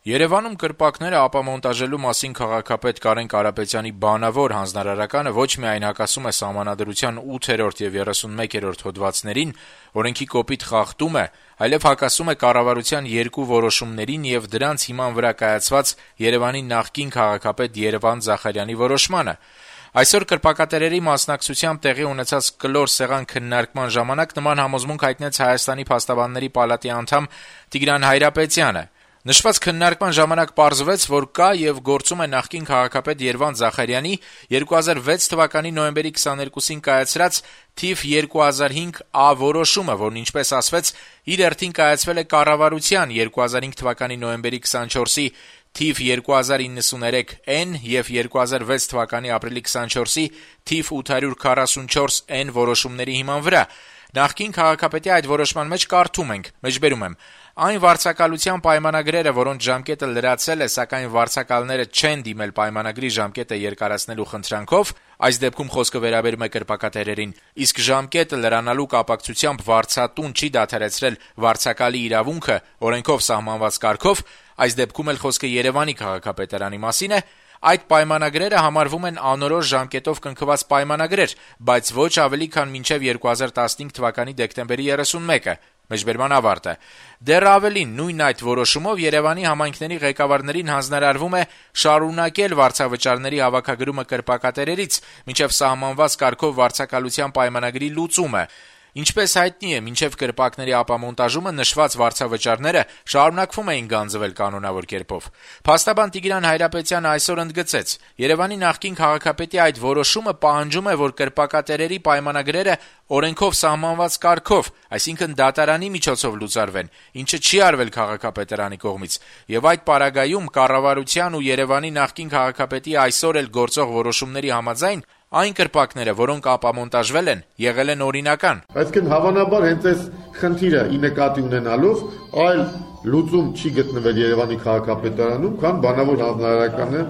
Երևանում կրպակները ապամոնտաժելու մասին քաղաքապետ Կարեն Կարապետյանի բանավոր հանձնարարականը ոչ միայն հակասում է Սահմանադրության 8-րդ եւ 31-րդ հոդվածներին, օրենքի կոպիտ խախտում է, այլև հակասում է կառավարության երկու որոշումներին եւ դրանց հիման վրա կայացված Երևանի նախկին քաղաքապետ Երվանդ Զախարյանի որոշմանը։ Այսօր կրպակատերերի մասնակցությամբ տեղի ունեցած կլոր սեղան քննարկման ժամանակ նման համոզմունք հայտնեց Հայաստանի Փաստաբանների պալատի անդամ Տիգրան Հայրապետյանը։ Նշված քննարկման ժամանակ պարզվեց, որ կա եւ գործում է նախկին քաղաքապետ Երվանդ Զախարյանի 2006 թվականի նոյեմբերի 22-ին կայացրած թիվ 2005 որոշումը, որն ինչպես ասվեց, իր հերթին կայացվել է կառավարության 2005 թվականի նոյեմբերի 24-ի թիվ 2093N եւ 2006 թվականի ապրիլի 24-ի թիվ 844N որոշումների հիման վրա։ Նախկին քաղաքապետի այդ որոշման մեջ կարդում ենք. մեջբերում եմ. այն վարձակալության պայմանագրերը, որոնց ժամկետը լրացել է, սակայն վարձակալները չեն դիմել պայմանագրի ժամկետը երկարացնելու խնդրանքով, այս դեպքում խոսքը վերաբերում է կրպակատերերին, իսկ ժամկետը լրանալու կապակցությամբ վարձատուն չի դադարեցրել վարձակալի իրավունքը օրենքով սահմանված կարգով, այս դեպքում էլ խոսքը Երևանի քաղաքապետարանի մասին է, այդ պայմանագրերը համարվում են անորոշ ժամկետով կնքված պայմանագրեր, բայց ոչ ավելի քան մինչև 2015 թվականի դեկտեմբերի 31-ը։ Մեջբերման ավարտը։ Դեռ ավելին, նույն այդ որոշումով Երևանի համայնքների ղեկավարներին հանձնարարվում է շարունակել վարձավճարների հավաքագրումը կրպակատերերից, մինչև սահմանված կարգով վարձակալության պայմանագրի լուծումը։ Ինչպես հայտնի է, մինչև կրպակների ապամոնտաժումը նշված վարձավճարները շարունակվում էին գանձվել կանոնավոր կերպով։ Փաստաբան Տիգրան Հայրապետյանը այսօր ընդգծեց. Երևանի նախկին քաղաքապետի այդ որոշումը պահանջում է, որ կրպակատերերի պայմանագրերը օրենքով սահմանված կարգով, այսինքն դատարանի միջոցով լուծարվեն, ինչը չի արվել քաղաքապետարանի կողմից, եւ այդ պարագայում կառավարության ու Երևանի նախկին քաղաքապետի այսօր էլ գործող որոշումների համաձայն այն կրպակները, որոնք ապամոնտաժվել են, եղել են օրինական։ Այսինքն հավանաբար հենց այս խնդիրը ի նկատի ունենալով այլ լուծում չի գտնվել Երևանի քաղաքապետարանում, քան բանավոր հանձնարարականը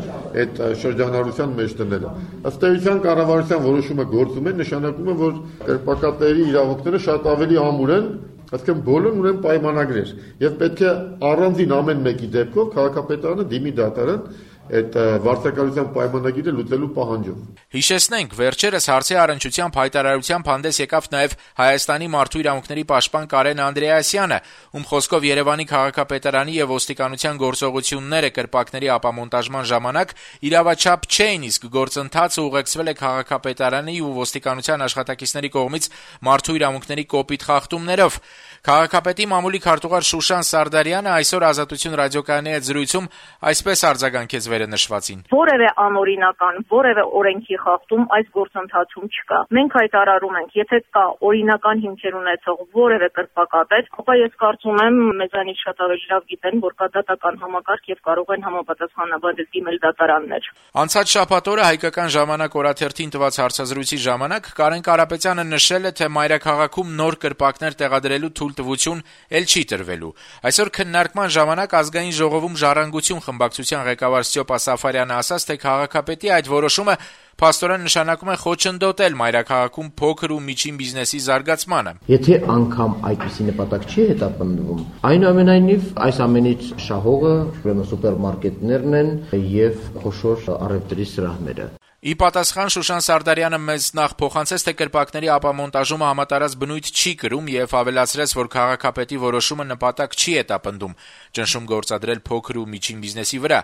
այդ շրջանառության մեջ դնելը։ Ըստ էության կառավարության որոշումը գործում է, նշանակում է, որ կրպակատերի իրավունքները շատ ավելի ամուր են, այսինքն բոլորն ունեն պայմանագրեր, եւ պետք է առանձին ամեն մեկի դեպքով քաղաքապետարանը դիմի դատարան այդ վարձակալության պայմանագիրը լուծելու պահանջով։ Հիշեցնենք, վերջերս հարցի առնչությամբ հայտարարությամբ հանդես եկավ նաև Հայաստանի մարդու իրավունքների պաշտպան Կարեն Անդրեասյանը, ում խոսքով Երևանի քաղաքապետարանի եւ ոստիկանության գործողությունները կրպակների ապամոնտաժման ժամանակ իրավաչափ չէին, իսկ գործընթացը ուղեկցվել է քաղաքապետարանի ու ոստիկանության աշխատակիցների կողմից մարդու իրավունքների կոպիտ խախտումներով։ Քաղաքապետի մամուլի քարտուղար Շուշան Սարդարյանը այսօր Ազատություն ռադիոկայանի հետ զրույցում այսպես արձագանքեց վերնշվածին. Որևէ անօրինական, որևէ օրենքի խախտում այս գործընթացում չկա։ Մենք հայտարարում ենք, եթե կա օրինական հիմքեր ունեցող որևէ կրպակապետ, ապա ես կարծում եմ մեզանից շատ ավելի լավ գիտեն, որ կա դատական համակարգ եւ կարող են համապատասխանաբար դիմել դատարաններ։ Անցած շաբաթ օրը Հայկական ժամանակ օրաթերթին տված հարցազրույցի ժամանակ Կարեն Կարապետյանը նշել է, թե մայրաքաղաքում նոր կրպակներ տեղադրելու թույլտվություն էլ չի տրվելու։ Այսօր քննարկման ժամանակ Ազգային ժողովում Ժառանգություն խմբակցության ղեկավար Ստյոպա Սաֆարյանը ասաց, թե քաղաքապետի այդ որոշումը փաստորեն նշանակում է խոչընդոտել մայրաքաղաքում փոքր ու միջին բիզնեսի զարգացմանը։ Եթե անգամ այդպիսի նպատակ չի հետապնդվում, այնուամենայնիվ այս ամենից շահողը ուրեմն սուպերմարկետներն են եւ խոշոր առևտրի սրահները։ Ի պատասխան Շուշան Սարդարյանը մեզ նախ փոխանցեց, թե կրպակների ապամոնտաժումը համատարած բնույթ չի կրում եւ ավելացրեց, որ քաղաքապետի որոշումը նպատակ չի հետապնդում ճնշում գործադրել փոքր ու միջին բիզնեսի վրա։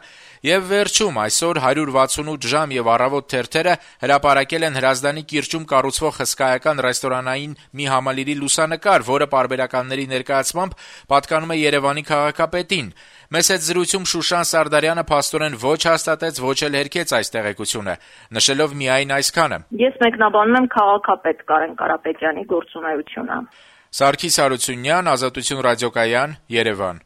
Եվ վերջում այսօր 168 ժամ եւ առավոտ թերթերը հրապարակել են Հրազդանի կիրճում կառուցվող հսկայական ռեստորանային մի համալիրի լուսանկար, որը պարբերականների ներկայացմամբ պատկանում է Երևանի քաղաքապետին։ Մեզ հետ զրույցում Շուշան Սարդարյանը փաստորեն ոչ հաստատեց, ոչ էլ հերքեց այս տեղեկությունը, նշելով միայն այսքանը. Ես մեկնաբանում եմ քաղաքապետ Կարեն Կարապետյանի գործունեությունը։ Սարգիս Հարությունյան, Ազատություն ռադիոկայան, Երևան։